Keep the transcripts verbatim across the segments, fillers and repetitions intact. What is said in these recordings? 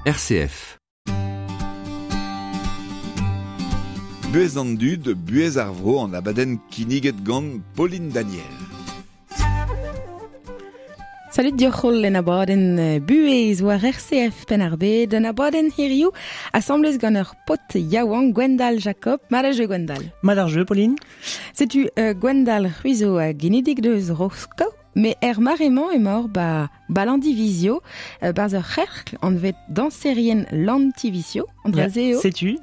R C F. Buez an dud, buez ar vro an abadenn kinniget gant Pauline Daniel. Salut dioc'hol en abadenn buez war R C F Penn-ar-Bed, en abadenn hiriou asamblez gant ur pot yaouank Gwendal Jacob. Mat ar jeu, Gwendal. Mat ar jeu, Pauline. Setu euh, Gwendal c'hwi a genidik deus Rosko, mais er maremañ emaor ba balandivisio, euh, barz ur c'herkl anvet danserien lantivisio, an Ya, dra-se eo. Setu.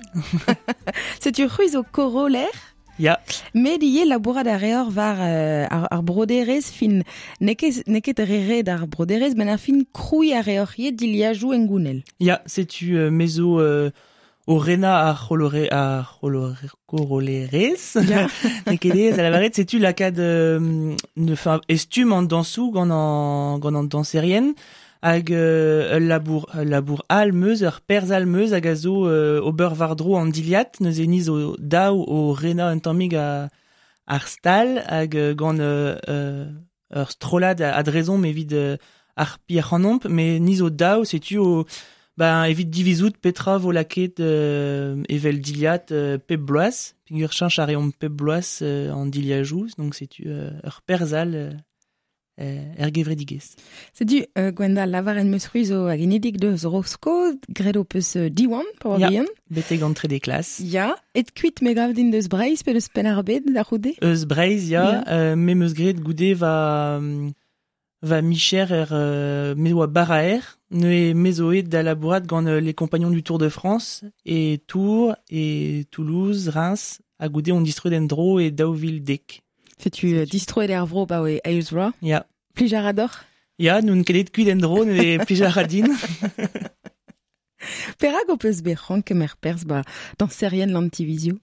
Setu c'hwi zo koroller. Ya. Met ivez labourat a reor war euh, ar, ar broderez fin, n'eo ket, n'eo ket re red ar broderez, ben ar fin krouiñ a reor ivez diliajoù engounel. Ya, setu euh, mezo euh, o rena ar c'holore, ar c'holore, korolerez. Ya. N'eo ket ez, a lavaret, setu lakaat, euh, ne, fin, estum an dansou gant an, gant an danserien, hag euh, ul labour, ul labour al meuz, ur perz al meuz hag a zo euh, ober war-dro an diliat, neuze ni zo daou o rena un tammig a, ar stal, hag euh, gant euh, euh, ur strollad a, adrezomp evit euh, ar pier c'hanomp, mais ni zo daou, setu o, ben, evit divizout petra vo laket euh, evel diliat euh, pep bloaz, peogwir cheñch a reomp pep bloaz euh, an diliajouz, donc setu euh, ur perzh all euh, er gevredigezh. Setu euh, Gwendal lavar en meus c'hwi zo hag genidik deus Rosko, graet ho peus euh, Diwan, pa oa Ya. bihan. Betek an trede klas. Ya, et kuit me gav din deus Breizh pe deus Penn-ar-Bed da c'houde? Eus Breizh, ya, Ya. euh, me meus graet goude va, va micher er, euh, me oa baraer, ne me zo aet da labourat gant euh, les compagnons du Tour de France, et Tours, et Toulouse, Reims, ha goude on distroet en dro e daou vil dek. Setu euh, distroet er vro ba oe eus vloaz. Ya. Plij a ra deoc'h? Ya, n'on ket aet kuit en dro, ne plij a ra din. Perak ho peus bet c'hoant kemer perzh ba danserien l'antivisio?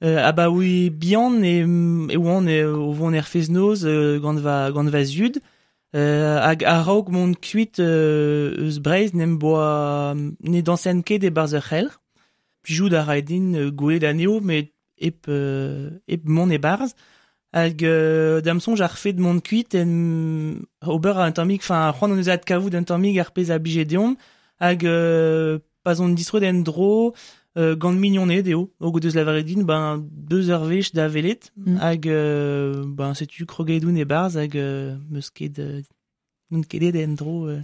Euh, ah bah oui, bihan e, e oan e, o vont er fez-noz euh, gant va, gant va zud. Euh, hag a-raok mont kuit euh, eus Breizh n'em boa ne dansen ket e-barzh ur c'helc'h. Plijout a rae din euh, gwelet anezho, met hep, euh, hep mont e-barzh. Hag euh, da'm soñj ar fet mont kuit en ober un tammig, enfin c'hoant hon eus adkavout un tammig ar pezh a blije deomp. Hag euh, pa zon distroet en dro, euh, gant mignoned eo, o deus lavaret din, ben deus ur wech da welet, Mm. hag euh, ben setu kroget oun e-barzh hag euh, meus ket, euh, n'on ket aet en dro euh,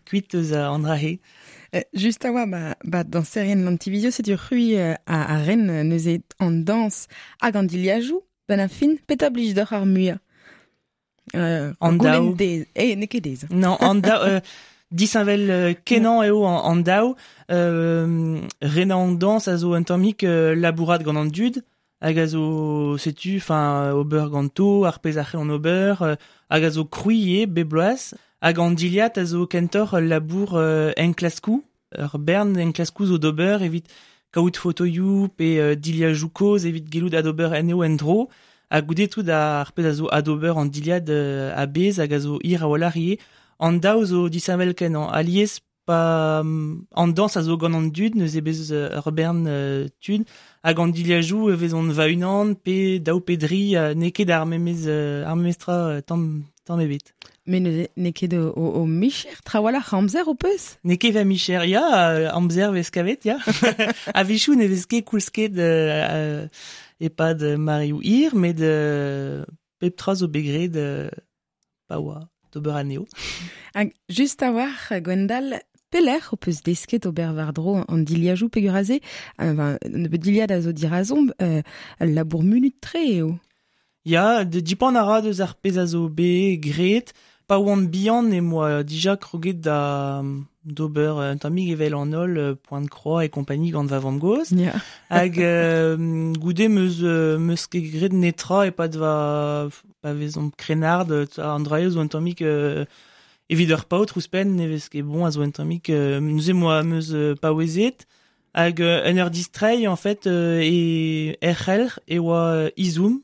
kuit eus a an dra-he. Euh, just a oa, ba, ba danserien l'antivisio, setu c'hwi euh, a, a ren euh, neuze an dans hag an diliajoù, ben a fin, petra blij deoc'h ar muiañ? Euh, An goulenn daou. dez. Eh, n'eo ket dez. Non, an daou, euh, disheñvel euh, kenañ eo an, an daou, euh, renañ an dañs a zo un tammig euh, labourat gant an dud, hag a zo, setu, enfin, ober ganto, ar pezh a c'hell an ober, euh, hag a zo krouiñ eo, bep bloaz, hag an diliat a zo kentoc'h ul labour euh, enklaskou, ur bern enklaskou zo d'ober evit kaout fotoioù pe euh, diliajoù kozh evit gellout adober anezho en-dro, ha goude tout ar pezh a zo adober an diliad euh, a-bezh hag a zo hir a-walc'h ivez. An daou zo disheñvel kenañ. Alies pa, an dañs a zo gant an dud, neuze bez euh, ur bern euh, tud, hag an diliajoù e vezont va-unan, pe daou pe dri, euh, n'eo ket ar memez, euh, ar memez tra, euh, tamm, tamm ebet. Mais neuze n'eo ket o, o, o micher trawalc'h amzer ho peus? N'eo ket va micher, ya, euh, amzer vez kavet, ya. A-wechoù ne vez ket koulz ket, euh, euh, e-pad mareoù hir, met, euh, pep tra zo bet graet, euh, pa oa d'ober anezho. Hag just a-walc'h, Gwendal, pelec'h ho peus desket ober war-dro an diliajoù peogwir aze, euh, ben, nebeut diliad a zo dirazomp, euh, ul labour munut-tre eo. Ya, de dipant a ra deus ar pezh a zo bet graet, pa oan bihan e moa dija kroget da d'ober un tammig evel an holl, euh, point de croix et compagnie gant va vamm-gozh. Ya. Hag, euh, goude meus, euh, meus ket graet netra e-pad va, pa vezomp krennard, an dra eo zo un tammig, euh, evit ur paotr ouzhpenn, ne vez ket bon a zo un tammig, euh, neuze moa meus, euh, paouezet. Hag, euh, en ur distreiñ, en fait, euh, e er c'helc'h e oa izoum,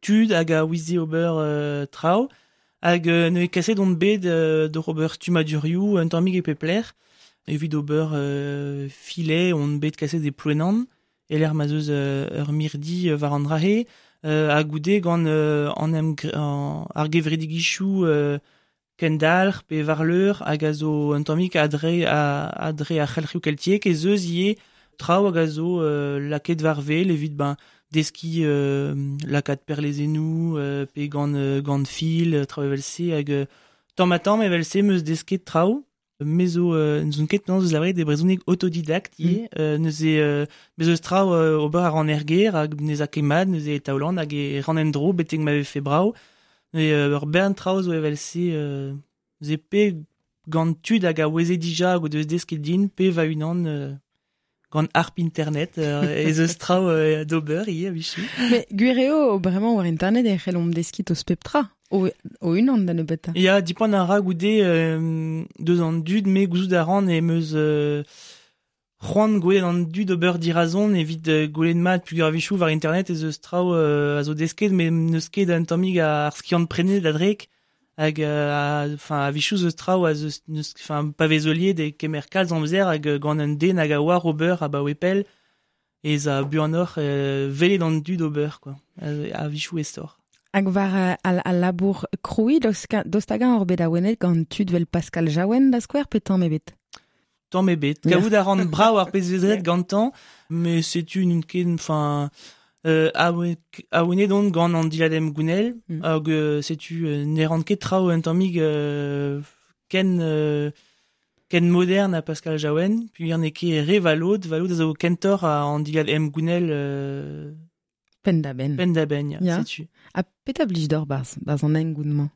tud hag a ouize ober, euh, traoù, hag, euh, neuze kaset on bet, euh, d'oc'h ober stummadurioù un tammig e pep lec'h, evit ober, euh, filet, on bet kaset e Plouenan, e lec'h ma zeus, euh, ur mirdi, euh, war an dra-he, euh, ha goude gant, euh, an em gr-, an, ar gevredigezhioù, euh, kendalc'h pe varleur hag a zo un tammig adre a, adre ar c'helc'hioù keltiek ez eus ivez traoù hag a zo euh, laket war wel evit ben deskiñ euh, lakaat perlezennoù euh, pe gant, euh, gant fil, traoù evel-se hag euh, tamm ha tamm evel-se 'm eus desket traoù. Me zo euh, n'ouzon ket penaos eus lavaret e brezhoneg autodidakt ivez, mm. euh, neuze euh, bez eus traoù euh, ober a ran er gêr hag n'ez a ket mat, neuze e taolan hag e ran en-dro betek ma vefe brav. Neuze euh, ur bern traoù zo evel-se euh, neuze pe gant tud hag a oueze dija hag o deus desket din, pe va-unan euh, gant harp internet euh, ez eus traoù euh, d'ober ivez a-wechoù. Mais gwir eo, bremañ war internet e c'hellomp deskiñ tost pep tra. O, o unan da nebeutañ. Ya, dipant a ra goude euh, deus an dud, me gouzout a ran em eus euh, c'hoant gwelet an dud ober dirazon evit euh, gwelet mat peogwir a-wechoù war internet ez eus traoù euh, a zo desket, met n'eus ket un tammig ar skiant prenet a-drek hag euh, enfin a-wechoù eus traoù a zeus n'eus enfin pa vez heuliet e kemer kalz amzer hag gant un den hag a oar ober abaoe pell ez a buanoc'h euh, welet an dud ober quoi a-wechoù aesoc'h. Hag war al, al labour krouiñ, daoust hag-eñ oc'h bet awenet gant tud vel Pascal Jaouen da skouer pe tamm ebet? Tamm ebet. Kavout a ran brav ar pezh vez graet gantañ, met setu n'on ket, enfin, euh, awenet on gant an dilhad emgounel, mm. hag euh, setu euh, ne ran ket traoù un tammig euh, ken, euh, ken modern a Pascal Jaouen, puis n'eo ket re valod, valod a zo kentoc'h an dilhad emgounel euh, Penn-da-benn. Penn-da-benn, ya, ya. Setu. Ha petra blij deoc'h barzh, barzh an hengoun-mañ?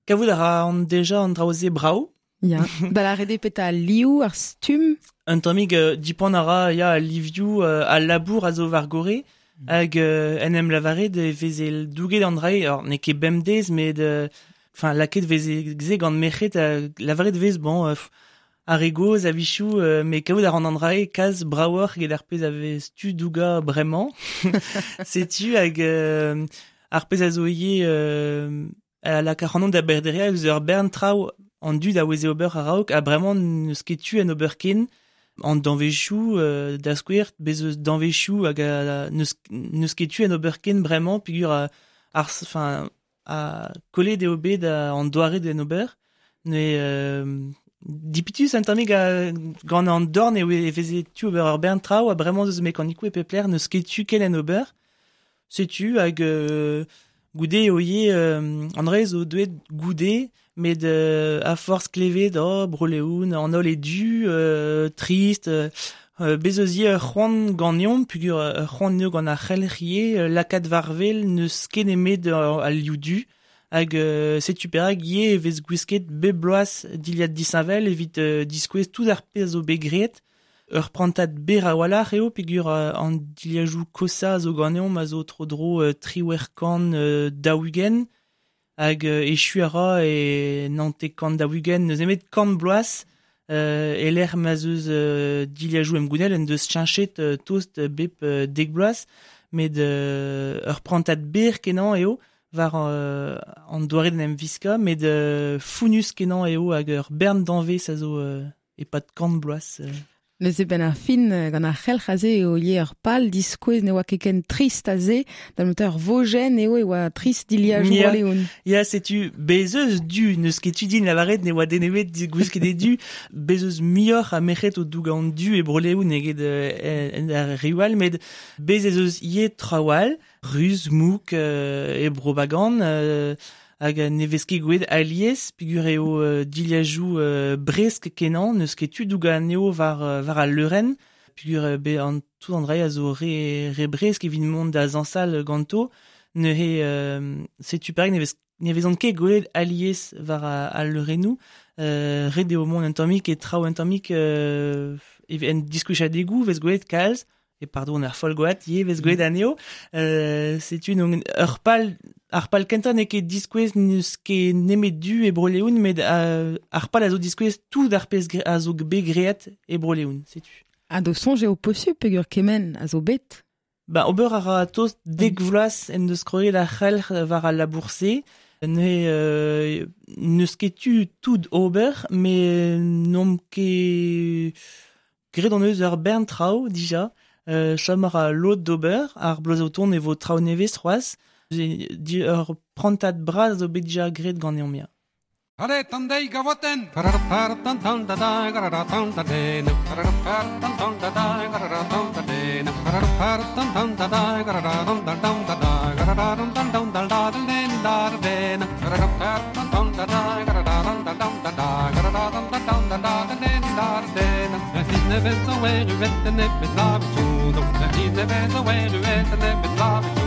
Kavout a ra an deja an draoù-se brav. Ya. Da lâret eo petra al liv, ar stumm? Un tammig euh, dipant a ra ya, al livioù, euh, al labour a zo war gorre, mm. hag euh, en em lavaret e veze douget an drae, alors n'eo ket bemdez, met enfin lakaet veze se gant merc'hed, euh, lavaret vez, bon, euh, ar re gozh a-wechoù, euh, met kaout a ran an drae kalz bravoc'h eget ar pezh a vez tu dougañ bremañ. Setu hag euh, ar pezh a zo ivez euh, a lak ac'hanon da berderiañ eus ur bern traoù an dud a oueze ober a-raok, ha bremañ n'eus ket tu en ober ken. An danvezioù euh, da skouer, bez eus danvezioù hag a, n'eus, n'eus ket tu en ober ken bremañ peogwir ar, enfin, a kollet eo bet an doare d'en ober. Ne euh, dipitus un tammig a, gant an dorn eo e veze tu ober ur bern traoù ha bremañ eus mekanikoù e pep lec'h n'eus ket tu ken en ober. Setu hag euh, goude eo ivez euh, an dra zo deuet goude, met euh, a forzh klevet, oh, Bro-Leon, an holl e du, euh, trist, euh, bez eus ivez ur c'hoant ganeomp, peogwir ur c'hoant eo gant ar c'helc'h ivez, euh, lakaat war wel n'eus ket nemet al liv du, hag euh, setu perak ivez e vez gwisket bep bloaz dilhad disheñvel evit euh, diskouez tout ar pezh zo bet graet. Ur prantad berr a-walc'h eo peogwir euh, an dilhajoù kosañ a zo ganeomp a zo tro-dro euh, triwec'h kant euh, daou-ugent, hag euh, echu a ra e naontek kant daou-ugent, n'eus nemet kant bloaz, euh, e lec'h ma'z eus euh, dilhajoù emgounel en deus cheñchet euh, tost bep euh, dek bloaz, met euh, ur prantad berr kenañ eo war euh, an doare d'en em viskañ, met euh, founnus kenañ eo hag ur bern danvez a zo euh, e-pad kant bloaz. Euh. Neuze ben ar fin gant ar c'helc'h aze eo ivez ur pal diskouez ne oa ket ken trist aze, da noter vojenn eo e oa trist dilhajoù Ya. Bro-Leon. Ya, setu bez eus du, n'eus ket tu din lavaret ne oa den ebet gwisket e du, bez eus muioc'h a merc'hed o dougañ an du e Bro-Leon eget euh, en ar reoù all, met bez ez eus ivez traoù all, ruz, mouk, euh, e Bro-Bagan, euh, hag ne vez ket gwelet alies, peogwir eo euh, dilhajoù euh, bresk kenañ, n'eus ket tu dougañ anezho war, euh, war al leurenn, peogwir euh, be an tout an dra a zo re, re bresk evit mont da zañsal ganto, neuze euh, setu perak ne vez ne vezont ket gwelet alies war al leurennoù, euh, ret eo mont un tammig e traoù un tammig euh, en diskouezadegoù vez gwelet kalz, e pardon ar Folgoad ivez vez gwelet anezho, euh, setu donc ur pal ar pal kentañ n'eo ket diskouez n'eus ket nemet du e Bro-Leon, met euh, ar pal a zo diskouez tout ar pezh a zo bet graet e Bro-Leon, setu. Ha d'ho soñj eo posupl peogwir kement a zo bet? Ba, ober a ra tost dek vloaz en deus kroget ar c'helc'h war al labour-se, ne euh, n'eus ket tu tout ober, met n'omp ket graet hon eus ur bern traoù dija, euh, chom a ra lod d'ober, ar bloaz o tont e vo traoù nevez c'hoazh, di ur prantad bras zo bet dija graet ganeomp ya. Allez, tandei gavoten. Tan tan da da da tan da den. Tan tan da da da tan da den. Tan tan da da da da da da da da da da da da den da den. Tan tan da da da da da da da da da da da da den da den. Ne vet zo er u vet ne vet la vi Ne vet zo er u vet ne vet la vi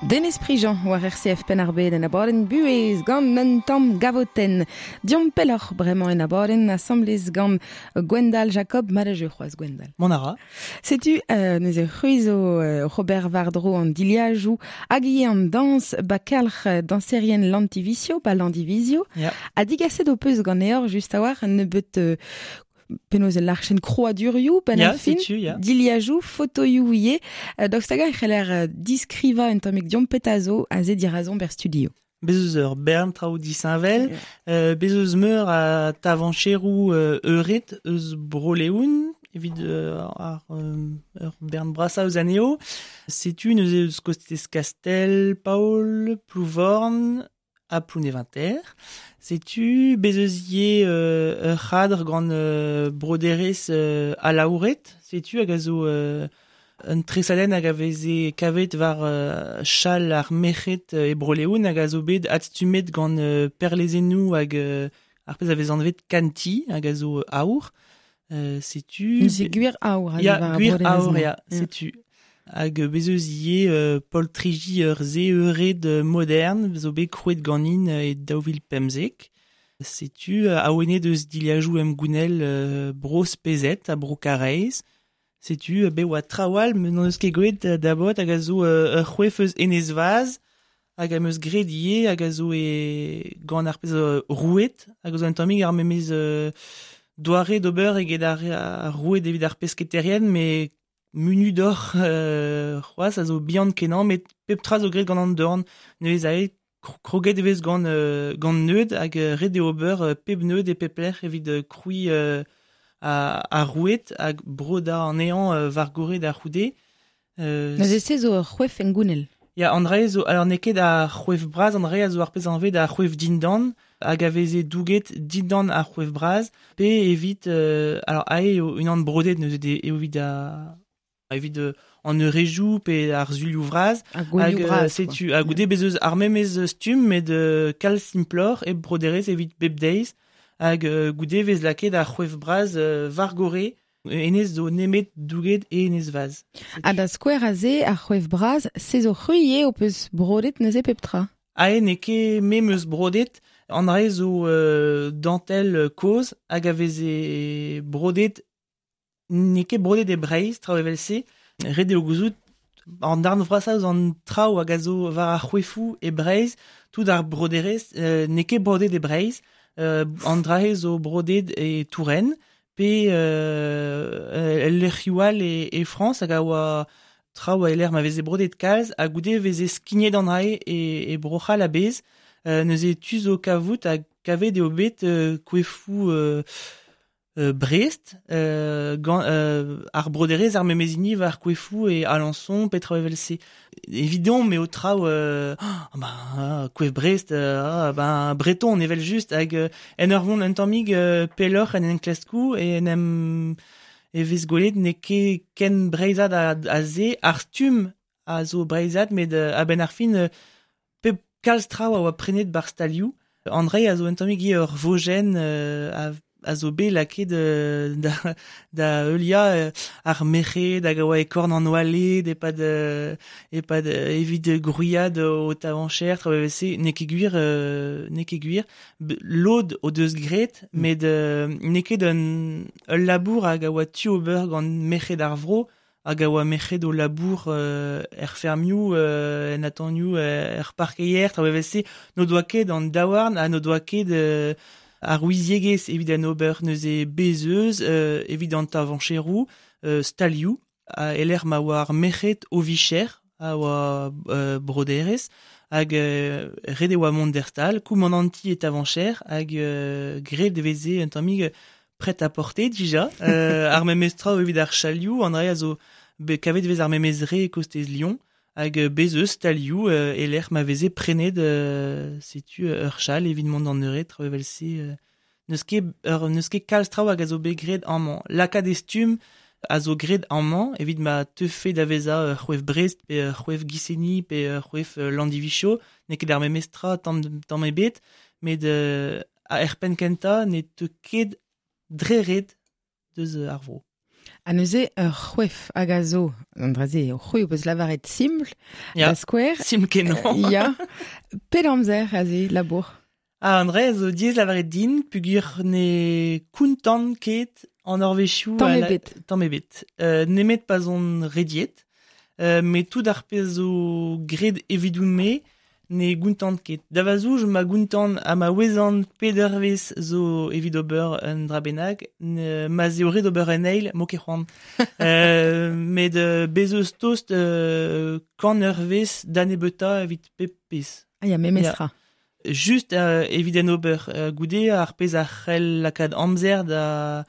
Denez Prigent war R C F Penn-ar-Bed en abadenn buhez gant un tamm gavotenn. Diomp pelloc'h bremañ en abadenn asamblez gant Gwendal Jacob, malajeu c'hoazh Gwendal. Mon ara. Setu euh, neuze c'hwi zo euh, Robert Vardro an diliajou hag ivez an dañs ba kalc'h dañserien Lantivizio, ba Landivizio. Yeah. Ha digaset ho peus ganeoc'h just a-walc'h un nebeut euh, penaos el larchen kroadurioù ben yeah, ar fin, setu, yeah. diliajou, fotoioù ivez. Daoust hag e c'heller diskriva un tammig diomp petazo a ze dirazon ber studio. Bez eus ur bern traoù disheñvel, yeah. euh, bez eus meur a tavancheroù euh, euret eus Bro-Leon, evit euh, ar euh, ur bern brasa eus anezho. Setu neuze eus kostez Kastel, Paol, Plouvorn, a Plounéventer. Setu bez eus ivez euh, ur c'hadr gant euh, broderez euh, alaouret. Setu hag a zo euh, un tresadenn hag a veze kavet war euh, chal ar merc'hed e Bro-Leon hag a zo bet adstummet gant euh, perlezennoù hag euh, ar pezh a vez anvet kanti hag a zo aour. Euh, setu... Neuze gwir aour. Ya, gwir aour, ya, setu. Hag bez eus ivez euh, poltriji ur ze eured modern, zo bet krouet ganin e daou vil pemzek. Setu awenet eus diliajou em gounel euh, bro spezet ha bro Karaez. Setu be oa trawal me n'on eus ket gwelet dabot hag a zo ur c'hwef eus Enez Vaz hag am eus graet ivez hag a zo e gant ar pezh rouet hag a zo un tammig ar memez euh, doare d'ober eget ar, ar rouet evit ar pesketerien mais munu d'or euh, c'hoazh a zo bihan kenañ met pep tra zo graet gant an dorn neuze ae kroget e vez gant euh, gant neud hag ret eo ober euh, pep neud e pep lec'h evit euh, krouiñ euh, a, a rouet hag broda an ehan euh, war gore da c'houde. Euh, Neuze se zo ur c'hwef en gounel. Ya, an dra zo, alors n'eo ket ar c'hwef bras, an dra zo ar pezh anvet ar c'hwef dindan, hag a veze douget dindan ar c'hwef bras, pe evit, euh, alors ae eo unan brodet neuze eo evit a, evit euh, an eurejou pe ar zulioù vras. Hag, euh, setu, hag goude bez eus ar memez stumm met euh, kalz simploc'h e broderez evit bep deiz, hag euh, goude vez lakaet ar c'hwef bras euh, war gore, enez zo nemet douget e enez vaz. Ha da skouer a ze ar c'hwef bras, se zo c'hwi eo ho peus brodet neuze pep tra. Ae n'eo ket me 'm eus brodet, an dra zo euh, dantel kozh hag a veze brodet, n'eo ket brodet e Breizh, traoù evel-se, ret eo gouzout An darn vrasa eus an traoù hag a zo war ar c'hoefoù e Breizh, tout ar broderezh, euh, n'eo ket brodet e Breizh, euh, an drahe zo brodet e Touraine, pe euh, el lec'hioù all e, e Frañs hag a oa traoù a eler ma veze brodet kalz, ha goude veze skignet an drae e, e Bro-C'hall a-bezh, euh, neuze tu zo kavout hag kavet eo bet euh, koefoù euh, Euh, Brest, euh, gant, euh, ar broderez ar memezini war koefoù e Alençon, petra evel se. Evidon, me o traoù, euh, oh, bah, koef Brest, euh, ah, ben, breton evel just, hag euh, en ur vont un tammig euh, pelloc'h en en klaskou, e en em e vez gwelet ne ket ken breizad a, a ze, ar stumm a zo breizad, met euh, a-benn ar fin, euh, pep kalz traoù a oa prenet bar stalioù. Andrei a zo un tammig ur vojenn euh, a a zo bet lakaet euh, da, da heulia euh, ar merc'hed hag a oa e korn an oaled e-pad, euh, e-pad euh, evit gwriad o tavancher, tra se n'eo ket gwir, euh, n'eo ket gwir. Lod o deus graet, mm. met euh, n'eo ket un, ul labour hag a oa tu ober gant merc'hed ar vro, hag a oa merc'hed o labour euh, er fermioù, euh, en atanioù, er parkeier, tra se n'o doa ket an daouarn ha n'o doa ket euh, ar ouiziegezh evit an ober neuze bezeuz, euh, evit an tavancheroù, euh, stalioù, a eler ma oa ar merc'hed o vicher, a oa euh, broderez, hag euh, ret e oa mont d'er stal, koumananti e tavancher, hag euh, graet e veze un tammig prêt à porter dija, euh, ar memez traoù evit ar chalioù, an dra a zo be, kavet vez ar memez re e kostez Lyon, hag bezeuz stalioù euh, eler ma veze prenet euh, setu ur chal evit mont d'an eured traoù evel se euh, n'eus ket ur n'eus ket kalz traoù hag a zo bet graet amañ. Lakaat e stumm a zo graet amañ evit ma teufe da vezañ ur c'hoef Brest pe ur c'hoef Guissény pe ur c'hoef Landivicho, n'eo ket ar memes tra tamm tamm ebet, met euh, a er penn kentañ ne teu ket dre ret deus ar vro. Ha neuze ur c'hoef hag a zo, an dra-se, ur c'hoef eus lavaret simpl, da skouer. Simpl kenañ. Euh, ya. Pet amzer aze, labour? Ah, an dra zo diaes lavaret din, pugur ne kountant ket an orvezhioù. Tamm ebet. Tamm ebet. Euh, nemet pa zon rediet, euh, met tout ar pezh zo graet evidoun-me, ne gountant ket. Da vazouj ma gountant ha ma ouezan pedervez zo evit ober un dra bennak, ma zeo ret ober un eil, mo ket c'hoant. euh, met euh, bez eus tost euh, kant eurvez da nebeuta evit pep pezh. Ah ya, memestra. Just euh, evit en ober. Euh, goude ar pezh a c'hell lakaat amzer da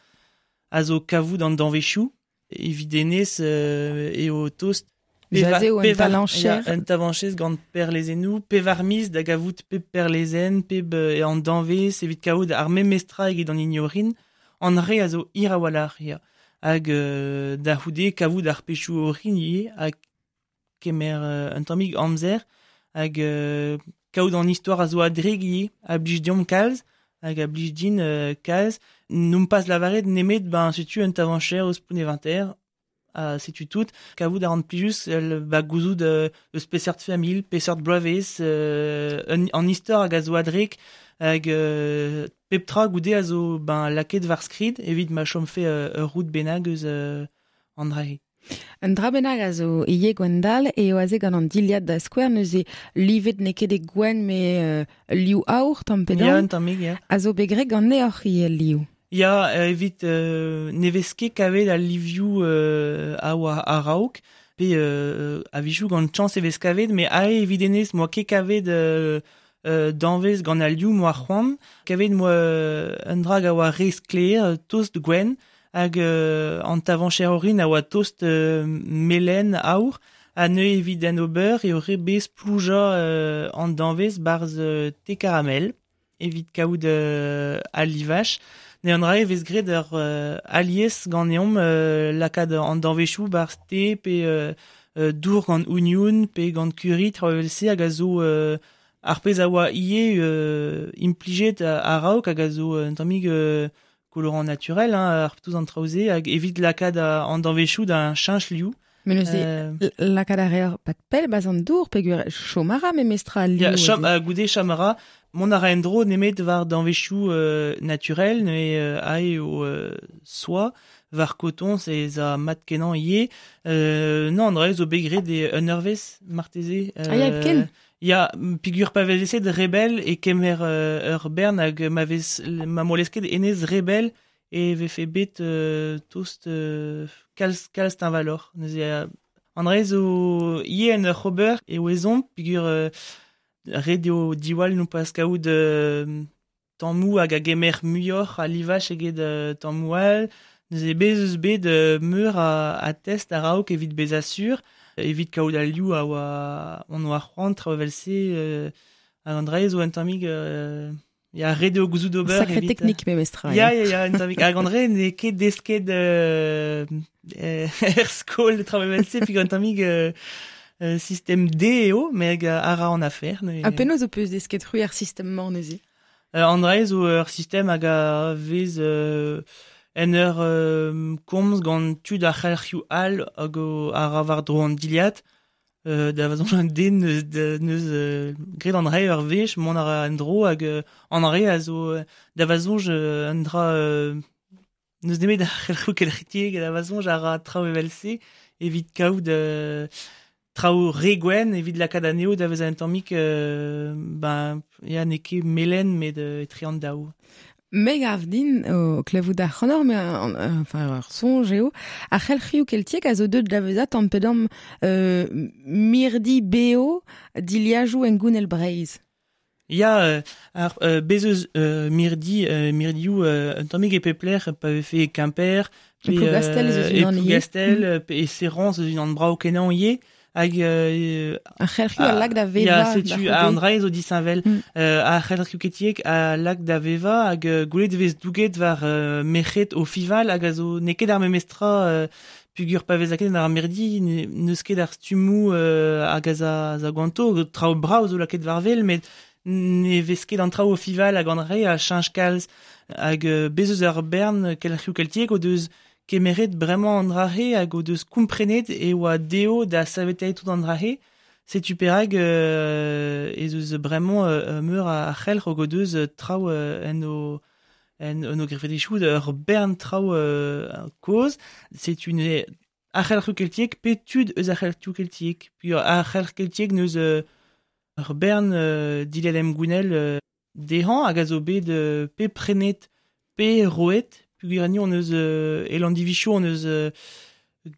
a zo kavout an danvezhioù, evit enez euh, eo tost Jaze o un tavancher. Un tavanchez gant perlezennoù, pevar miz da gavout pep perlezenn, pep e an danvez, evit kaout ar memestra eget an ignorin, an re a zo hir a-walc'h, ya. Hag euh, da c'houde kavout ar pechoù orin ivez, hag kemer euh, un tammig amzer, hag euh, kaout an istor a zo a-dreg ivez, a blij deomp kalz, hag a blij din euh, kalz, n'omp pas lavaret nemet, ben, setu un tavancher eus Pont-Éventaire, Uh, setu tout, kavout a ran plijus el ba gouzout euh, eus peseurt familh, peseurt bloavezh, euh, un, an istor hag a zo a-drek, hag euh, pep tra goude a zo ben, lakaet war skrid evit ma chomfe euh, ur roud bennak eus euh, an drae. Un dra bennak a zo ivez Gwendal eo aze gant an dilhad da skouer neuze livet n'eo ket e gwenn me euh, liv aour tamm pe damm. Ya, un tammig, ya. A zo bet graet ganeoc'h ivez liv. Ya, evit euh, ne vez ket kavet al livioù euh, a oa a-raok, pe euh, a-wechoù gant chañs e vez kavet, met ae evit enez moa ket kavet euh, euh, danvez gant al liv moa c'hoant, kavet moa un dra a oa re sklaer, tost gwenn, hag euh, an tavancher orin a oa tost euh, melen aour, ha neuze evit an ober eo re bez plouja euh, an danvez barzh euh, te caramel, evit kaout euh, al livach. Ne an rae vez graet ur euh, alies ganeomp euh, lakaat an danvezhioù barzh te pe euh, euh, dour gant oignon pe gant curry traoù evel-se hag a zo euh, ar pezh a oa ivez euh, implijet a-raok hag a zo un tammig euh, colorant naturel hein, ar tout an traoù-se hag evit lakaat an danvezhioù da cheñch liv. Mais neuze euh, lakaat a reer pat pell baz an dour peogwir chom a ra memestra al liv. Ya, chom, uh, goude chom a ra, mont a ra en-dro nemet war danvezioù euh, naturel, ne euh, ae o euh, soa, war koton, ez a mat kenañ ivez. Euh, non, an dra zo bet graet e un eurvezh marteze. Euh, ah ya, hepken? Ya, peogwir pa vez eset rebel e kemer euh, ur bern hag ma vez ma molesket enez rebel e vefe bet euh, tost euh, kalz, kalz teñvaloc'h. Neuze euh, an dra zo ivez en ur ober e ouezomp peogwir euh, ret eo diwall nou pas kaout euh, tammoù hag a gemer muioc'h a livaj eget euh, tammoù all. Neuze bez eus bet euh, meur a, a test a-raok evit bezañ sur, evit kaout al liv a oa on oa c'hoant traoù evel-se euh, hag an dra zo un tammig euh, ya ret eo gouzout ober. Sacré evit, technique memestra. Ya, ya, ya, un tammig. Hag an dra n'eo ket desket euh, euh, er skol traoù evel-se, peogwir un tammig euh, euh, système D eo, met a ra an afer. Ne... Ha penaos ho peus desket c'hwi ar sistem-mañ neuze? Euh, an dra zo ur sistem hag a vez euh, en ur euh, komz gant tud ar c'helc'hioù all hag o a ra war-dro an dilhad. Euh, da vazoñ un den neus, de, neus euh, graet an dra ur wech, mont a ra en-dro hag euh, an dra a zo da vazoñj euh, un dra euh, neus nemet ar c'helc'hioù kelc'hetiek da vazoñj a ra traoù evel-se evit kaout euh, traoù re gwenn evit lakaat anezho da vezañ un tammig euh, ben ya n'eo ket melen met euh, etre an daou. Me gav din o klevout ar c'hanor, mais enfin ur soñj eo, ar c'helc'hioù keltiek a zo deuet da vezañ tamm pe damm euh, mirdi beo diliajoù engounel Breizh. Ya, euh, ar euh, bez eus euh, mirdi, euh, mirdioù euh, un tammig e pep lec'h pa vefe Quimper, pe Plougastel eus e unan ivez. Plougastel, pe e Serran eus unan brav kenañ ivez. Hag euh, ar c'helc'hioù a lak da veva. Ya, setu an dra zo disheñvel. Mm. Euh, ar c'helc'hioù keltiek a lak da veva hag euh, gwelet vez douget war euh, merc'hed o fival hag a zo n'eo ket ar memestra euh, peogwir pa vez lakaet ar mirdi n'eus ket ar stummoù euh, hag a za, za ganto traoù brav zo lakaet war wel met ne vez ket an traoù o fival hag an re a cheñch kalz hag euh, bez eus ar bern kelc'hioù keltiek o deus kemeret bremañ an dra-he hag o deus komprenet e oa dezho da saveteiñ tout an dra-he. Setu perak euh, ez eus bremañ euh, meur a c'helc'h hag o deus traoù euh, en o en, en o grefetizhioù ur bern traoù euh, kozh. Setu ne ar c'helc'hioù keltiek pe tud eus ar c'helc'hioù keltiek. Puis ar c'helc'h keltiek neus euh, ur bern euh, dilhad emgounel euh, dezhañ hag a zo bet euh, pe prenet pe roet. Peogwir ni on eus euh, e Landivicho on eus euh,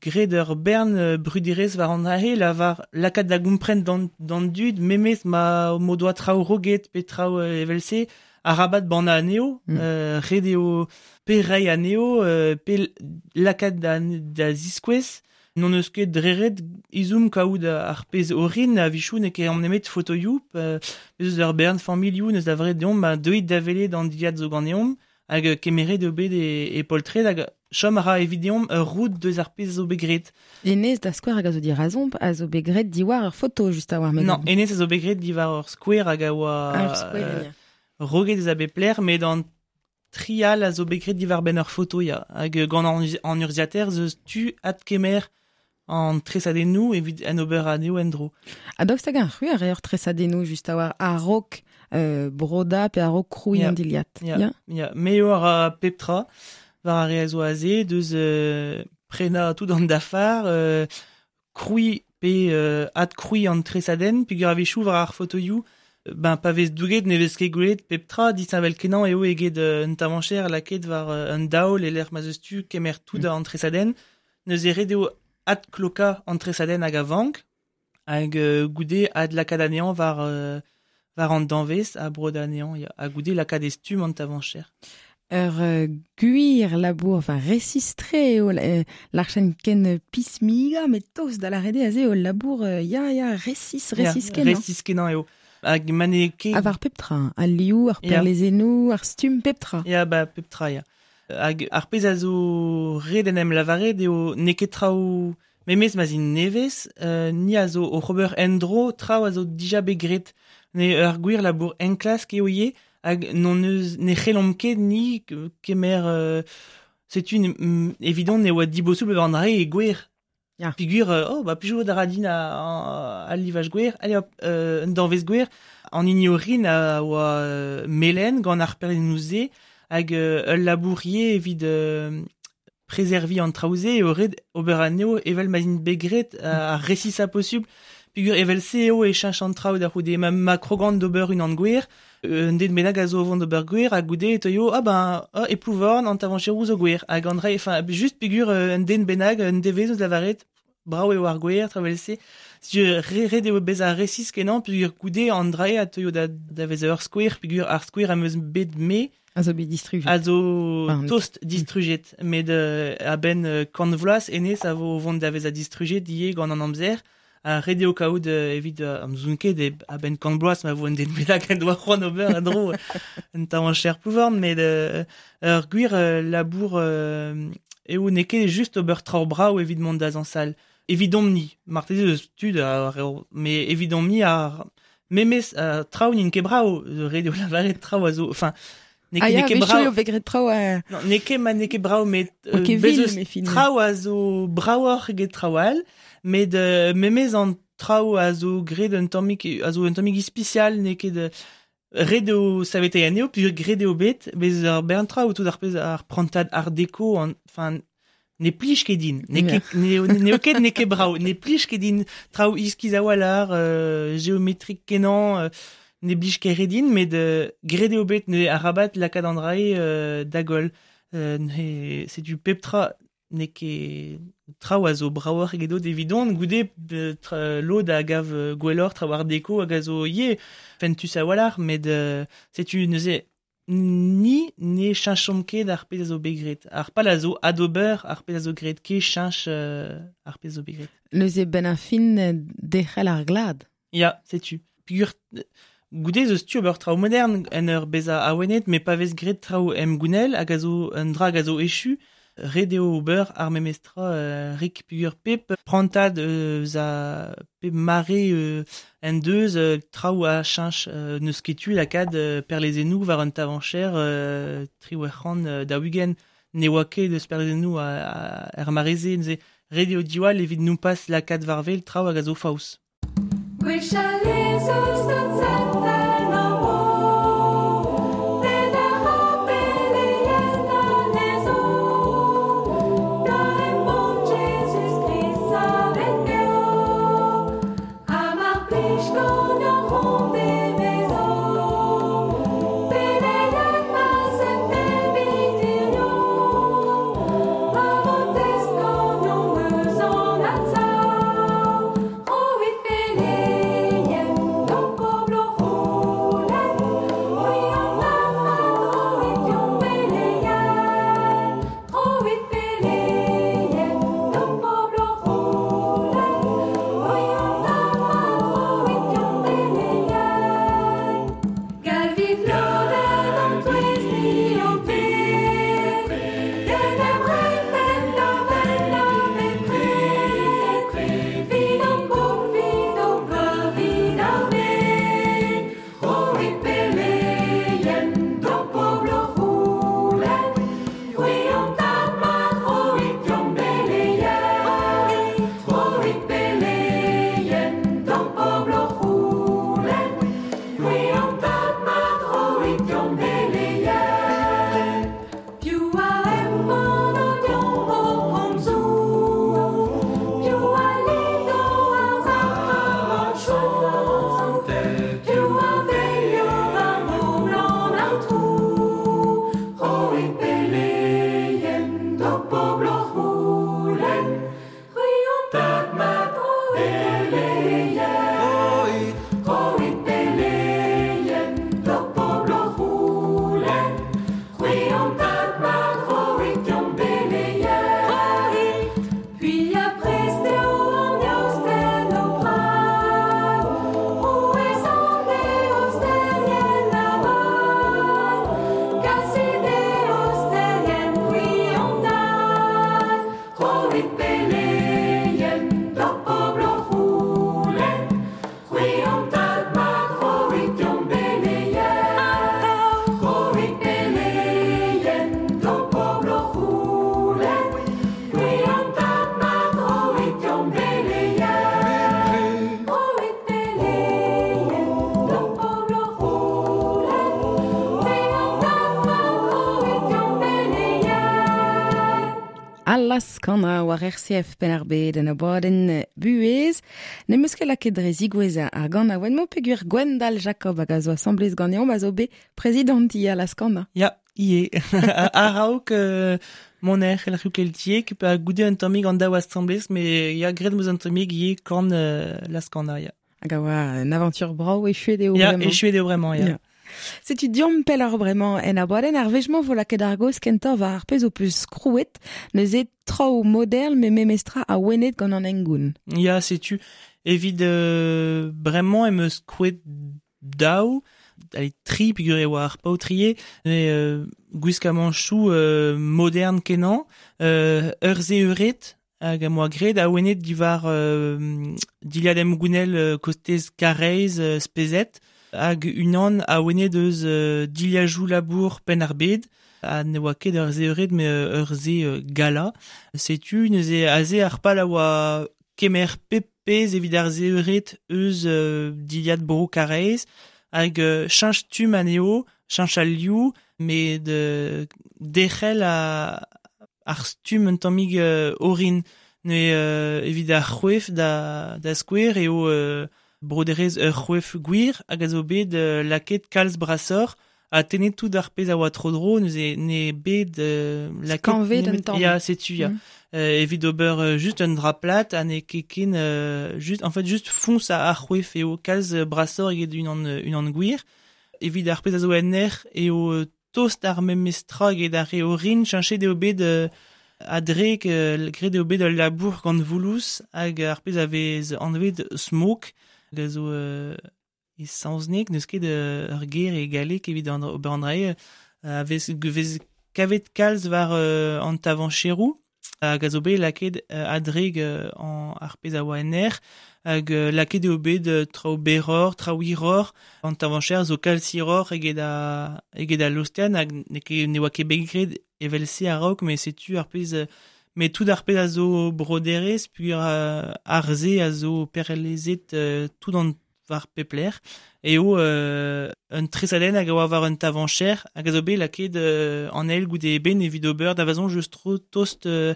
graet ur bern euh, bruderezh war an dra-he la war lakaat da gompren d'an, d'an dud memes ma m'o doa traoù roget pe traoù euh, evel-se arabat bannañ anezho, mm. euh, ret eo pe reiñ anezho euh, pe lakaat da, da ziskouez. N'on eus ket dreret izhomm kaout ar pezh orin a-wechoù n'eo ket an nemet fotoioù euh, eus ur bern familhoù neus da vret deomp ma deuit da welet an dilhad zo ganeomp hag kemeret eo bet e, e poltred hag chom a ra evit deomp ur roud deus ar pezh zo bet graet. Enez da skouer hag a zo dirazomp a zo bet graet diwar ur foto just a-war Non, enez a zo bet graet diwar ur skouer hag a oa ur skouer, euh, roget eus a bep lec'h met an trial a zo bet graet diwar benn ur foto ya hag gant an, an urzhiataer zeus tu adkemer an tresadennoù evit an ober anezho en-dro. Ha daoust hag ar c'hwi a reer tresadennoù just a-war a-raok euh, broda pe a-raok krouiñ Ya. an dilhad. Ya, Ya. ya. Me eo a ra pep tra war ar re a zo aze deus euh, prenañ tout an dafar euh, krouiñ pe euh, adkrouiñ an tresadenn peogwir a-wechoù war ar fotoioù ben pa vez douget ne vez ket gwelet pep tra disheñvel kenañ eo eget euh, un tavañcher lakaet war euh, un daol e lec'h ma'z eus tu kemer tout Mm. an tresadenn neuze ret eo adklokañ an tresadenn hag a vank hag euh, goude adlakaat anezhañ war euh, war an danvez ha brod anezhañ ya ha goude lakaat e stumm an tavañcher. Ur euh, gwir labour, enfin resistre eo euh, l'archen ken pismiga met tost da lâret eo aze eo labour euh, ya ya resis resis Ya, kenañ. resis kenañ eo. Hag ma n'eo ket Ha war pep tra, al liv, ar Ya. perlezennoù, ar stumm pep tra. Ya ba pep tra ya. Hag ar pezh a zo ret en em lavaret eo n'eo ket traoù memes ma'z int nevez, euh, ni a zo oc'h ober en-dro traoù a zo dija bet graet. Ne ur gwir labour enklask eo ivez hag n'on eus ne c'hellomp ket ni kemer euh, setu mm, evidon ne oa dibosubl war an dra e gwir. Ya. Peogwir, euh, oh, ba plijout a ra din a, a, al livaj gwer, allez hop, euh, un danvez gwer, an hini orin a oa euh, melen gant ar perlennoù-se, hag euh, ul labourier evit euh, prezervi an traoù-se eo ret ober anezho evel ma int bet graet ar resisa posubl. Peogwir evel se eo e cheñch an traoù da c'houde ma, ma krogant d'ober unan gwer, un den bennak a zo o vont d'ober gwer, ha goude e teuio, ah ben, ah, e Plouvorn, an tavañcheroù zo gwer. Hag an dra, enfin, just peogwir euh, un den bennak, un devezh eus lavaret, brav eo ar gwer, traoù se. Setu re, ret eo bezañ resis kenañ, peogwir goude an dra a teuio da, da vezañ ur skouer, peogwir ar skouer am eus bet me, A zo bet distrujet. a zo Enfin, tost distrujet, met euh, a-benn euh, kant vloaz, hennezh a vo vont da vezañ distrujet ivez gant an amzer, ha ret eo kaout euh, evit euh, am zoun ket e a-benn kant bloaz ma vo un den bennak en doa c'hoant ober en-dro un tavañcher Plouvorn, met euh, ur gwir euh, labour euh, eo n'eo ket just ober traoù brav evit mont da zañsal. Evidomp-ni, marteze eus tud, ar, met evidomp-ni ar memes euh, traoù n'int ket brav, ret eo lavaret traoù a zo, enfin, n'eo Ah ket, ya, n'eo ket wechoù brav. eo bet graet traoù euh, Non, n'eo ket ma n'eo ket brav, met oa euh, ket bez vil, eus me fin. traoù a zo bravoc'h eget traoù all, met euh, memes an traoù a zo graet un tammig, a zo un tammig ispisial, n'eo ket euh, ret eo saveteiñ anezho, peogwir graet eo bet, bez ur bern traoù tout ar pezh ar prantad art déco, an, enfin, ne plij ket din, n'eo ket, n'eo n'eo ket n'eo ket brav, ne plij ket din traoù iskis a-walc'h, euh, geometrik kenañ, euh, ne blij ket re din, met euh, graet eo bet ne arabat lakaat an dra-se euh, da goll. Euh, ne, setu pep tra n'eo ket traoù a zo bravoc'h egedot evidon, goude euh, tra, lod a gav euh, gwelloc'h traoù art déco hag a zo ivez fentus a-walc'h, met euh, setu neuze ni ne cheñchomp ket ar pezh a zo bet graet. Ar pal a zo adober ar pezh a zo graet ket cheñch euh, ar pezh a zo bet graet. Neuze ben ar fin euh, derc'hel ar glad. Ya, setu. Peogwir goude eus tu ober traoù modern en ur bezañ awenet, met pa vez graet traoù emgounel hag a zo un dra hag a zo echu, ret eo ober ar memes tra euh, rik peogwir pep prantad eus a pep mare euh, en deus euh, traoù a cheñch euh, n'eus ket tu lakaat euh, perlezennoù war un tavañcher euh, triwec'h c'hant euh, daou-ugent. Ne oa ket eus perlezennoù a, a, er mare-se, neuze ret eo diwall evit nompas lakaat war-wel traoù hag a zo faos. Gwechall ez eus deut zentel an bro, bet ar beleien anezho, da embann Jezuz-Krist savet beo, ha mar plij ganeoc'h hon devezo, beleien ma sent evit hirio, ma vo test ganeomp eus an adsav, roit beleien d'ho pobl ho Allas kana war R C F Penn-ar-Bed en abadenn buhez. Ne meus ket lakaet dre zigouez ar gant a oen mo peogwir Gwendal Jacob hag a zo asamblez ganeomp a zo bet prezidant i Allas kana. Ya, ie. A-raok euh, mon er el keltiek pa goude un tammig an daou asamblez, me ya graet meus un tammig ie kan euh, Las kana, ya. Hag a oa un aventure brao echuet eo ya, vraiment. Echuet eo vraiment, ya. Ya. Setu diomp pell ar bremañ en abadenn ar wech-mañ vo lakaet ar gaoz kentañ war ar pezh o peus krouet, neuze traoù modern me memestra a wenet gant an hengoun. Ya, setu evit euh, bremañ em eus krouet daou, allez, tri peogwir e oa ar paotrier, mais euh, gwiskamanchoù euh, modern kenañ, euh, ur ze euret, hag am oa graet a wenet diwar euh, dilhad emgounel euh, kostez Karaez euh, spezet, hag unan a wenet eus euh, dilhajoù labour Penn-ar-Bed, ha ne oa ket ur ze euret, me euh, ur ze euh, gala. Setu neuze aze ar pal a oa kemer pep pezh evit ar ze euret eus euh, dilhad bro Karaez, hag euh, cheñch stumm anezho, cheñch al liv, met de derc'hel a ar stumm un tammig euh, orin. Neuze euh, evit ar c'hwef da, da skouer eo euh, broderez ur c'hwef gwir hag a zo bet euh, lakaet kalz brasoc'h ha tennet tout ar pezh a oa tro-dro, neuze ne bet euh, lakaet Skañvet un nemet tamm. Ya, setu, ya. Mm. Euh, evit ober euh, just un drap plat ha ne ket ken euh, just, en fait, just foñs a ar c'hwef eo kalz brasoc'h eget unan, unan gwir. Evit ar pezh a zo en aer eo euh, tost ar memestra eget ar re orin, cheñchet eo bet euh, a-drek, euh, graet eo bet ul labour gant voulouz hag ar pezh a vez anvet smoke, hag a zo euh, e saozneg, n'eus ket euh, ur ger e galleg evit an ober an dra-se, euh, a vez, vez kavet kalz war euh, an tavancheroù, hag a zo bet lakaet euh, a-drek euh, an ar pezh a oa en aer, hag euh, lakaet eo bet euh, traoù berroc'h, traoù hiroc'h, an tavancher zo kalz hiroc'h eget a, eget a lostenn, hag ne ket, ne oa ket bet graet evel-se a-raok, met setu ar pezh, euh, met tout ar pezh a zo broderez, peogwir euh, ar se a zo perlezet euh, tout an war pep lec'h, eo euh, un tresadenn hag a oa war un tavancher, hag a zo bet lakaet euh, an eil goude eben evit ober da vazon just tro tost euh,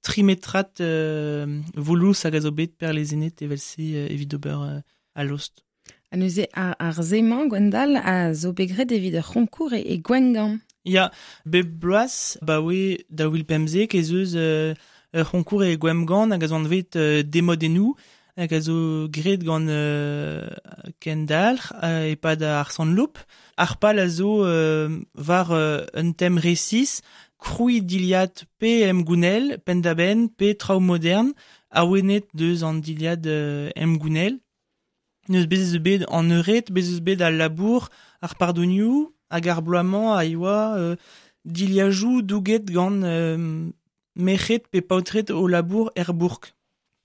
trimetrat euh, voulouz hag a zo bet perlezenet evel-se euh, evit ober euh, a lost. Ha neuze ar, ar ze-mañ, Gwendal, a zo bet graet evit ur c'honkour e, e Gwengamp. Ya, bep bloaz, ba oe daou vil pemzek ez eus euh, ur c'honkour e Gwengamp hag a zo anvet euh, Demodennoù, hag a zo graet gant euh, Kendalc'h euh, e-pad ar Sant-Loup. Ar pal a zo euh, war euh, un tem resis, krouiñ dilhad pe emgounel, penn-da-benn, pe traoù modern, awenet deus an dilhad euh, emgounel. Neus bez eus bet an eured, bez eus bet al labour, ar pardonioù, hag ar bloaz-mañ a yoa euh, dilhajoù douget gant euh, merc'hed pe paotred o labour er bourk.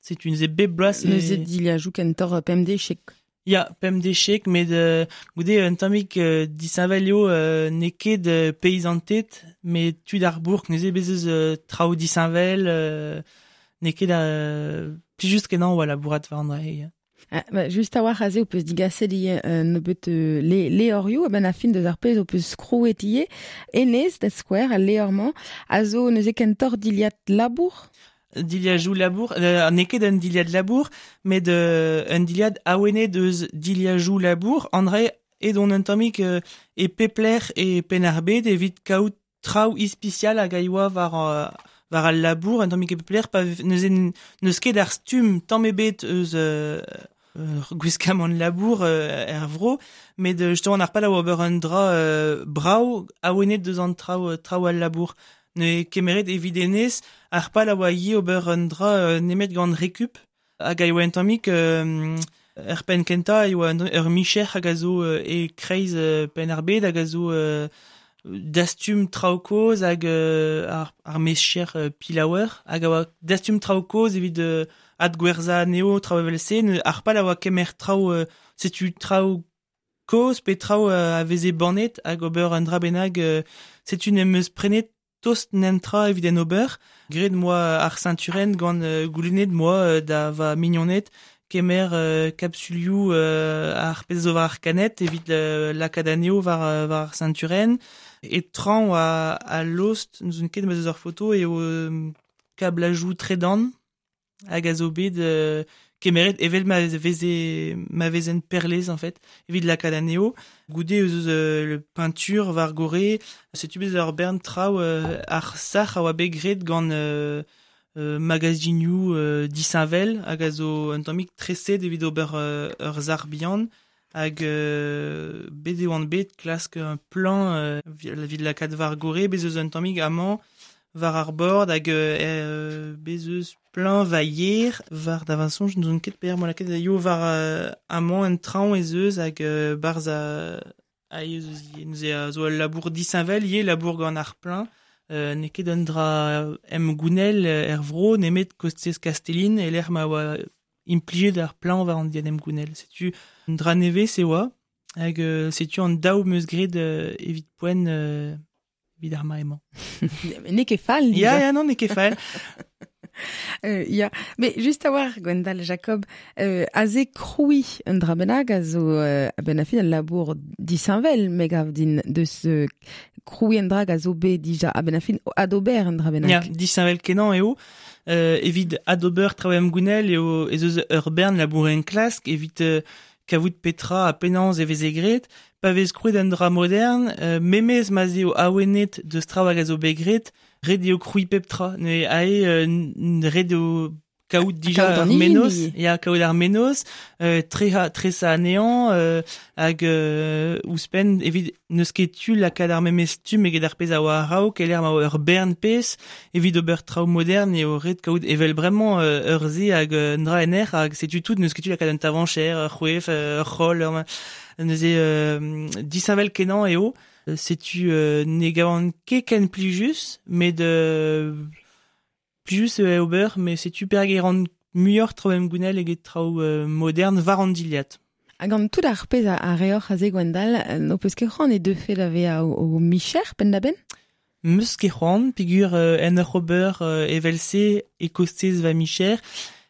Setu neuze bep bloaz e- Neuze dilhajoù kentoc'h pemdechek. Ya, pemdechek, met euh, goude un tammig euh, disheñvel eo euh, n'eo ket euh, paysanted, met tud ar bourk, neuze bez eus euh, traoù disheñvel, euh, n'eo ket euh, plijus kenañ oa labourat war an dra-se, ya. Ah, bah, just a-walc'h aze ho peus digaset ivez euh, nebeut euh, le, levrioù, a-benn ar fin deus ar pezh ho peus krouet ivez, hennezh da skouer, al levr-mañ, a zo neuze kentoc'h dilhad labour? Dilhajoù labour, euh, n'eo ket un dilhad labour, met euh, un dilhad awenet eus dilhajoù labour, an dra edon un tammig euh, e pep lec'h e Penn-ar-Bed evit kaout traoù ispisial hag a yoa war, euh, war al labour, un tammig e pep lec'h, pa neuze n'eus ket ar stumm tamm ebet eus euh, ur gwiskamant labour euh, er vro, met euh, justement ar pal a oa ober un dra euh, brav awenet deus an traoù, traoù al labour. Ne kemeret evit hennezh, ar pal a oa ivez ober un dra euh, nemet gant recup, hag a yoa un tammig euh, er penn kentañ a yoa un, ur micher hag a zo euh, e kreiz euh, Penn-ar-Bed hag a zo euh, dastum traoù kozh hag euh, ar, ar mecher euh, pilaouer, hag a oa dastum traoù kozh evit euh, adgwerzhañ anezho traoù evel-se, ne, ar pal a oa kemer traoù, euh, setu traoù kozh pe traoù euh, a veze bannet hag ober un dra bennak, euh, setu n'em eus prenet tost nentra evit en ober, graet moa ar ceinturenn gant euh, goulennet moa euh, da va mignoned kemer euh, kapsulioù euh, ar pezh zo war ar kanet evit euh, lakaat anezho war, euh, war ar ceinturenn, e traoñ a, a lost, n'ouzon ket ma eus ur foto, eo euh, kablajou tredan hag a zo bet euh, kemeret evel ma veze ma vezen perlez en fait evit lakaat anezho goude eus euh, le peinture war gore setu bet ur bern traoù euh, ar sac'h a oa bet graet gant euh, euh, magazinioù euh, disheñvel hag a zo un tammig treset evit ober euh, ur sac'h bihan hag euh, bet e oan bet klask un plan euh, evit lakaat war gore bez eus un tammig amañ war ar bord hag euh, bez eus plein va yer war da vañsoñj n'ouzon ket per mo lakaet da yo war euh, amañ un traoñ ez eus hag euh, barzh a a ez eus ivez. Neuze a zo ul labour disheñvel ivez labour gant ar plein euh, n'eo ket un dra em gounel er vro nemet kostez Kastellin e lec'h ma oa implijet ar plein war an diad em gounel. Setu un dra nevez e oa hag euh, setu an daou meus graet euh, evit poent euh, evit ar mare-mañ. N'eo ket fall, Ya, ya, non, n'eo ket fall. Euh, ya. Mais just a war, Gwendal Jacob, euh, aze kroui un dra bennak a zo euh, a-benn ar fin al labour disheñvel me gav din deus euh, kroui un dra a zo bet dija a-benn ar fin adober un dra bennak. Ya, disheñvel kenañ eo. Euh, evit adober traoù em gounel eo ez eus ur bern labour en klask evit euh, kavout petra ha penaos e veze graet, pa vez krouet un dra modern, euh, memez ma 'z eo awenet deus traoù hag a zo bet graet, ret eo krouiñ pep tra. Ne ae euh, ret eo kaout dija kaout ar an mennozh, hini. ya kaout ar mennozh, euh, treha, tresañ anezhañ, euh, hag euh, ouzhpenn evit n'eus ket tu lakaat ar memes stumm eget ar pezh a oa a-raok, e lec'h ma oa ur bern pezh, evit ober traoù modern eo ret kaout evel bremañ euh, ur se hag un dra en aer hag setu tout n'eus ket tu lakaat un tavancher, ur c'hwef, ur c'holl, ur... neuze euh, disheñvel kenañ eo. Setu euh, ne gavan ket ken plijus, met euh, plijus eo ober, met setu perak e ran muioc'h traoù em gounel eget traoù euh, modern war an dilhad. Hag an tout ar pezh a, a reoc'h aze Gwendal, n'ho peus ket c'hoant e deufe da vezañ o, o micher penn-da-benn? Meus ket c'hoant, peogwir euh, en ur ober euh, evel-se e kostez va micher,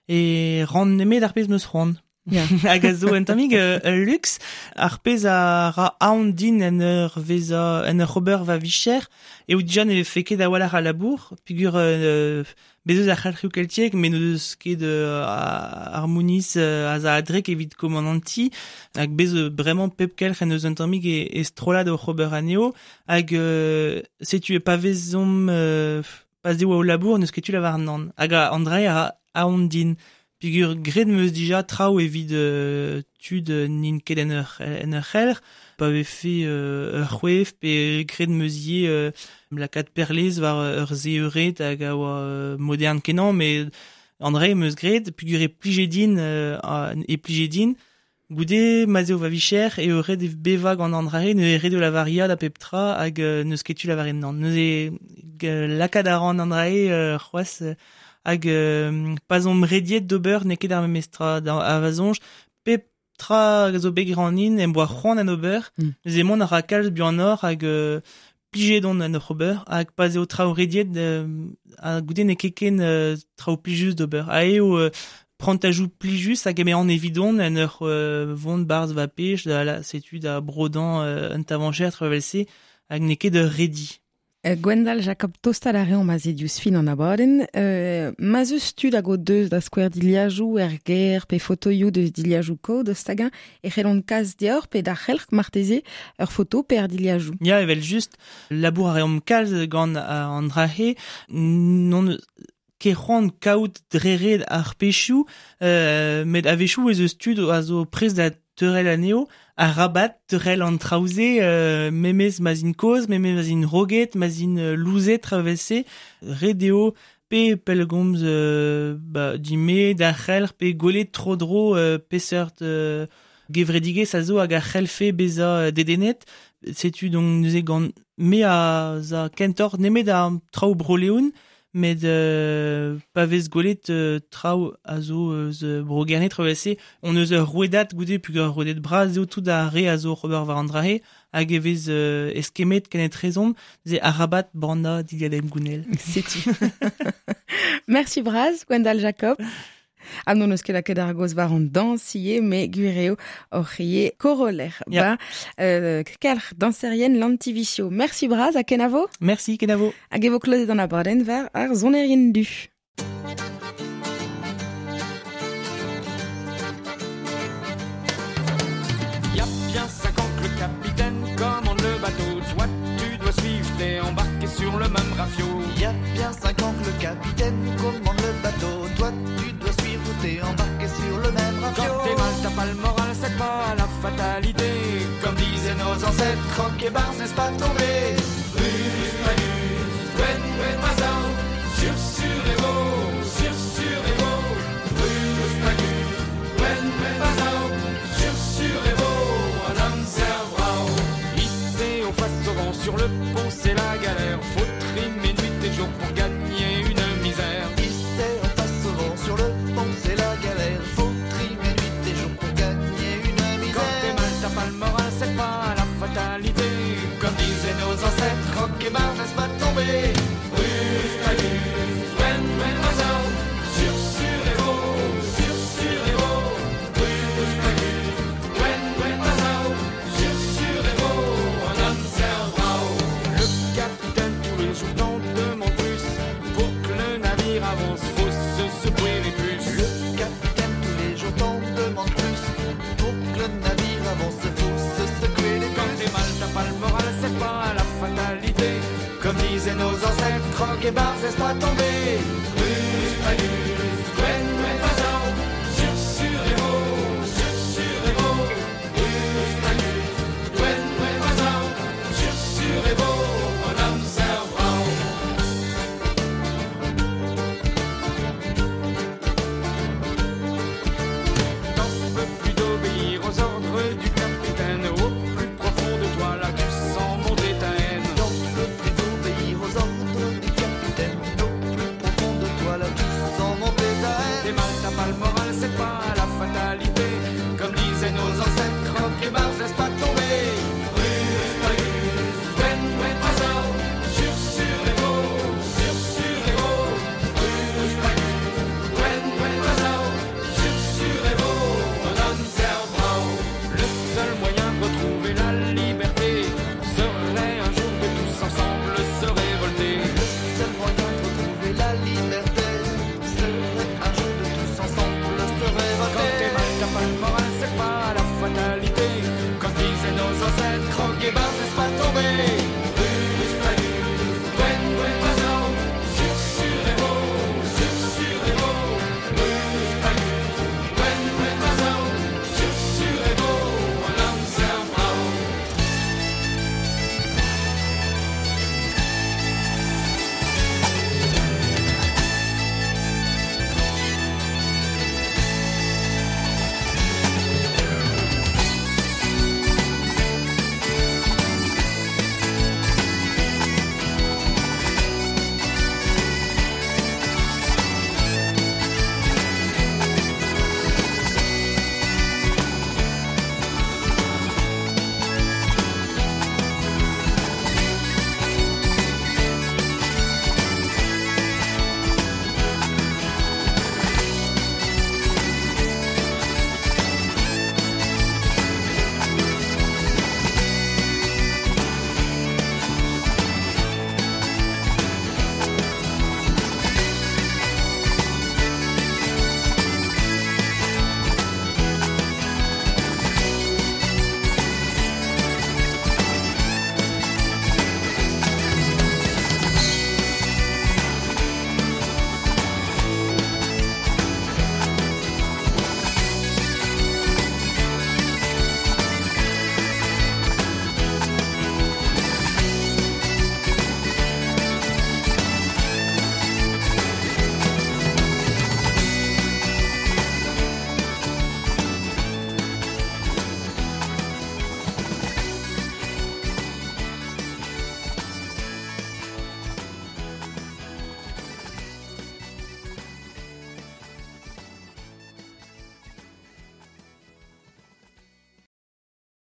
e ran nemet ar pezh meus c'hoant. Ya. Hag a zo un tammig euh, ul luxe, ar pezh a ra aon din en ur vezañ, en ur ober va vicher, eo dija ne vefe ket a-walc'h a labour, peogwir euh, bez eus ar c'helc'hioù keltiek, met n'o deus ket euh, ar mouniz euh, a za adrek evit komandanti, hag bez euh, bremañ pep kelc'h en eus un tammig e, e strollad oc'h ober anezho, hag euh, setu e pa vezomp euh, pa 'z eo ao labour n'eus ket tu lavar nann. Hag a an dra a ra aon din. Peogwir graet 'm eus dija traoù evit euh, tud n'int ket en ur, en ur c'helc'h, pa vefe euh, ur c'hwef, pe graet 'm eus ivez euh, lakaat perlez war ur se eured hag a oa euh, modern kenañ, met an dra 'm eus graet, peogwir e plije din, euh, a, e plije din, goude ma 'z eo va vicher eo ret e bevañ gant an dra-se, neuze ret eo lavar ya da pep tra hag euh, n'eus ket tu lavaret nann. Neuze lakaat a ran an dra-se euh, c'hoazh euh, hag euh, pa 'z omp rediet d'ober n'eo ket ar memes tra da a va soñj, pep tra hag a zo bet granin em boa c'hoant en ober, Mm. neuze mont a ra kalz buanoc'h hag euh, plijet on en oc'h ober, hag pa 'z eo traoù rediet euh, ha goude n'eo ket ken euh, traoù plijus d'ober. Ha eo euh, prantajoù plijus hag eme an evidon en ur euh, vont barzh va pech da la setu da brodañ euh, un tavancher traoù evel-se hag n'eo ket ur redi. Euh, Gwendal Jacob tostal a reomp aze diouzh fin an abadenn. Euh, ma 'z eus tud hag o deus da skouer dilhajoù er gêr pe fotoioù deus dilhajoù kozh deus hag-eñ e c'hellont kas deoc'h pe d'ar c'helc'h marteze ur foto pe ar dilhajoù. Ya, evel just, labour a reomp kalz gant an dra-se, n'on ket c'hoant kaout dre ret ar pezhioù, euh, met a-wechoù ez eus tud a zo prest da teurel anezho, arabat teurel an traoù-se, euh, memes ma 'z int kozh, memes ma 'z int roget, ma 'z int louzet traoù evel-se, ret eo pe pellgomz euh, ba, din-me, d'ar c'helc'h, pe gwelet tro-dro euh, peseurt euh, gevredigezh a zo hag a c'hellfe bezañ dedennet. Setu donc neuze gant me a za kentoc'h nemet ar traoù Bro-Leon, met euh, pa vez gwelet euh, traoù a zo eus Bro-Gerne traoù evel-se, on eus ur rouedad goude peogwir ur rouedad bras eo tout ar re a zo oc'h ober war an dra-se, hag e vez euh, eskemmet kenetrezomp, ze arabat bannañ dilhad em gounel. Setu. Merci bras, Gwendal Jacob. Ha n'hon eus ket lakaet ar gaoz war an dañs ivez, met gwir eo oc'h ivez koroller. Ya. Ba, euh, kelc'h dañserien Lantiviccio. Merci bras ha kenavo. Merci, kenavo. Hag e vo klozet an abadenn war ar sonerien du. rafio. Il y a bien cinq ans que le capitaine commande le bateau. Toi tu dois suivre ou t'es embarqué sur le même rafio. Quand t'es mal, t'as pas le moral, c'est pas la fatalité. Comme disaient nos ancêtres, croque et barre, n'est-ce pas tombé? Rus, magus, gwen, gwen, mazao, sur, sur et vo, sur, sur et vo. Rus, magus, gwen, gwen, mazao, sur, sur et vo, an amzer brao. Ici, on face au vent, sur le pont, c'est la galère. Faut trimer nuit et jour pour gagner une misère. Ici, on passe au vent, sur le pont, c'est la galère. Faut trimer nuit et jour pour gagner une misère. Quand t'es mal, t'as pas le moral, c'est pas la fatalité. Comme disaient nos ancêtres, croque et barre, n'est-ce pas tombé? Rus, magus, gwen, gwen, mazao, sur, sur et vo, sur, sur et vo. Rus, magus, gwen, gwen, mazao, sur, sur et vo, an amzer brao. Le capitaine tous les jours t'en demande plus. Pour que le navire avance, faut se secouer les puces. Le capitaine tous les jours t'en demande plus. Pour que le navire avance, faut se secouer les Quand puces. t'es mal, t'as pas le moral, c'est pas la fatalité. Comme disaient nos ancêtres, croque et barre, n'est-ce pas tombé? Rus, magus,